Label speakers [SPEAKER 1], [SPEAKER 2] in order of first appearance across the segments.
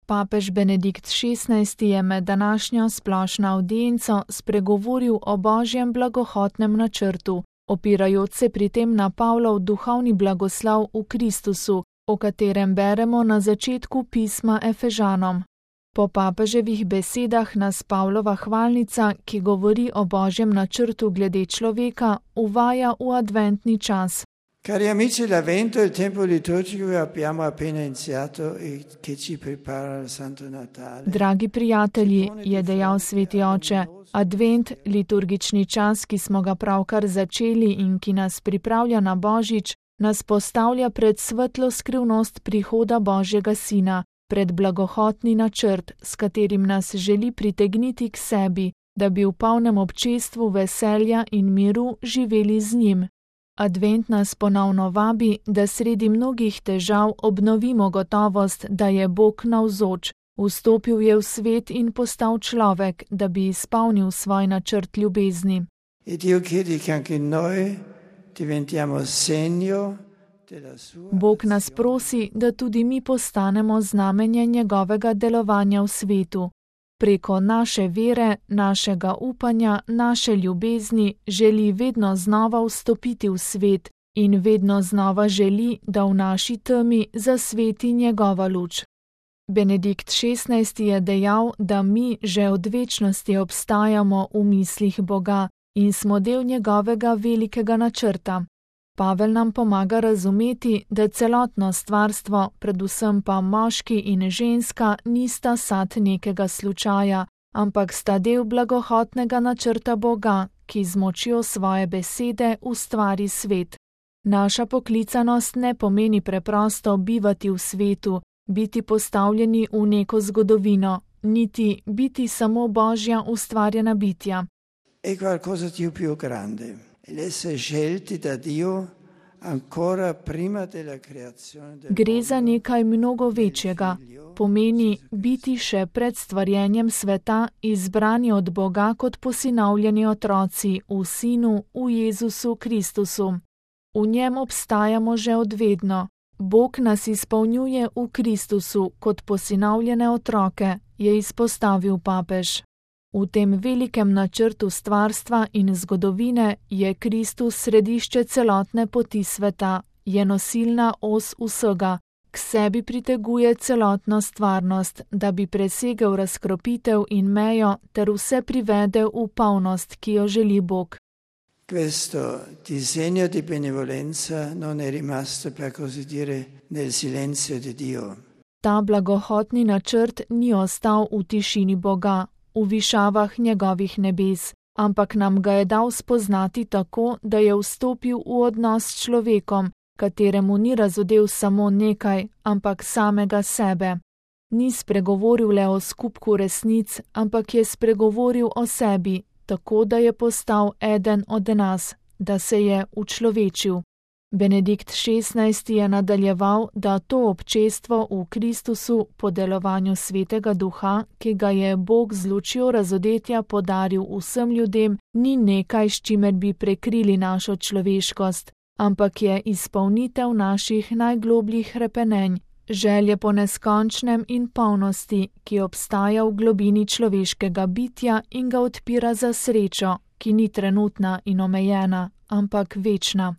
[SPEAKER 1] Papež Benedikt XVI je med današnjo splošno avdienco spregovoril o Božjem blagohotnem načrtu, opirajoč se pri tem na Pavlov duhovni blagoslov v Kristusu, o katerem beremo na začetku pisma Efežanom. Po papeževih besedah nas Pavlova hvalnica, ki govori o Božjem načrtu glede človeka, uvaja v adventni čas.
[SPEAKER 2] Cari amici, l'Avvento è il tempo liturgico che abbiamo appena iniziato e che ci prepara al Santo Natale.
[SPEAKER 1] Dragi prijatelji, je dejal sveti oče, advent, liturgični čas, ki smo ga pravkar začeli in ki nas pripravlja na Božič, nas postavlja pred svetlo skrivnost prihoda Božjega Sina, pred blagohotni načrt, s katerim nas želi pritegniti k sebi, da bi v polnem občestvu veselja in miru živeli z njim. Advent nas ponovno vabi, da sredi mnogih težav obnovimo gotovost, da je Bog navzoč, vstopil je v svet in postal človek, da bi izpolnil svoj načrt ljubezni. Bog nas prosi, da tudi mi postanemo znamenje njegovega delovanja v svetu. Preko naše vere, našega upanja, naše ljubezni želi vedno znova vstopiti v svet in vedno znova želi, da v naši temi zasveti njegova luč. Benedikt XVI je dejal, da mi že od večnosti obstajamo v mislih Boga in smo del njegovega velikega načrta. Pavel nam pomaga razumeti, da celotno stvarstvo, predvsem pa moški in ženska, nista sad nekega slučaja, ampak sta del blagohotnega načrta Boga, ki z močjo svoje besede ustvari svet. Naša poklicanost ne pomeni preprosto bivati v svetu, biti postavljeni v neko zgodovino, niti biti samo Božja ustvarjena bitja.
[SPEAKER 2] È qualcosa di più grande. L'essere scelti da Dio ancora prima della creazione del mondo.
[SPEAKER 1] Gre za nekaj mnogo večjega. Pomeni biti še pred stvarjenjem sveta izbrani od Boga kot posinovljeni otroci v Sinu, v Jezusu Kristusu. V njem obstajamo že od vedno. Bog nas izpolnjuje v Kristusu kot posinovljene otroke, je izpostavil papež. V tem velikem načrtu stvarstva in zgodovine je Kristus središče celotne poti sveta, je nosilna os vsega, k sebi priteguje celotno stvarnost, da bi presegel razkropitev in mejo ter vse privedel v polnost, ki jo želi Bog.
[SPEAKER 2] Questo disegno di benevolenza non è rimasto, per così dire, nel silenzio di Dio.
[SPEAKER 1] Ta blagohotni načrt ni ostal v tišini Boga, v višavah njegovih nebes, ampak nam ga je dal spoznati tako, da je vstopil v odnos s človekom, kateremu ni razodel samo nekaj, ampak samega sebe. Ni spregovoril le o skupku resnic, ampak je spregovoril o sebi, tako da je postal eden od nas, da se je učlovečil. Benedikt XVI je nadaljeval, da to občestvo v Kristusu po delovanju Svetega Duha, ki ga je Bog z lučjo razodetja podaril vsem ljudem, ni nekaj, s čimer bi prekrili našo človeškost, ampak je izpolnitev naših najglobljih hrepenenj, želje po neskončnem in polnosti, ki obstaja v globini človeškega bitja in ga odpira za srečo, ki ni trenutna in omejena, ampak večna.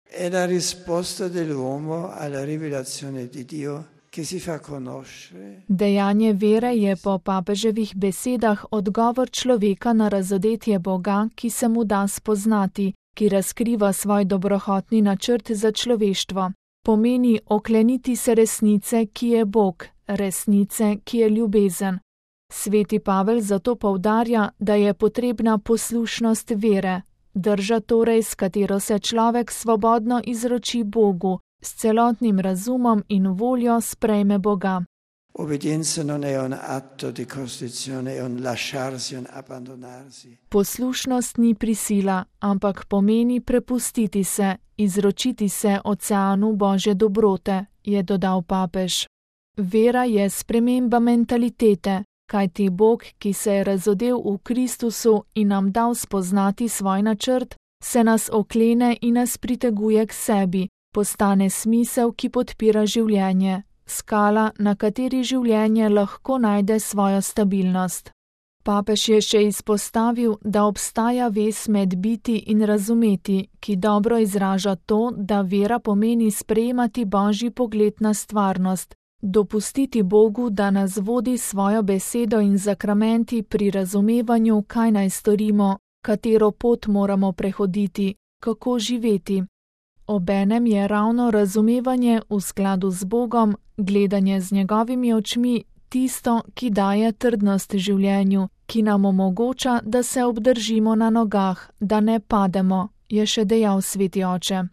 [SPEAKER 2] È la risposta dell'uomo alla rivelazione di Dio che si fa conoscere.
[SPEAKER 1] Dejanje vere je po papeževih besedah odgovor človeka na razodetje Boga, ki se mu da spoznati, ki razkriva svoj dobrohotni načrt za človeštvo. Pomeni okleniti se resnice, ki je Bog, resnice, ki je ljubezen. Sveti Pavel zato poudarja, da je potrebna poslušnost vere, drža torej, s katero se človek svobodno izroči Bogu, s celotnim razumom in voljo sprejme Boga.
[SPEAKER 2] Obbedienza non è un atto di costrizione, è un lasciarsi, un abbandonarsi.
[SPEAKER 1] Poslušnost ni prisila, ampak pomeni prepustiti se, izročiti se oceanu Božje dobrote, je dodal papež. Vera je sprememba mentalitete, kajti Bog, ki se je razodel v Kristusu in nam dal spoznati svoj načrt, se nas oklene in nas priteguje k sebi, postane smisel, ki podpira življenje, skala, na kateri življenje lahko najde svojo stabilnost. Papež je še izpostavil, da obstaja vez med biti in razumeti, ki dobro izraža to, da vera pomeni sprejemati Božji pogled na stvarnost, dopustiti Bogu, da nas vodi svojo besedo in zakramenti pri razumevanju, kaj naj storimo, katero pot moramo prehoditi, kako živeti. Obenem je ravno razumevanje v skladu z Bogom, gledanje z njegovimi očmi, tisto, ki daje trdnost življenju, ki nam omogoča, da se obdržimo na nogah, da ne pademo, je še dejal sveti oče.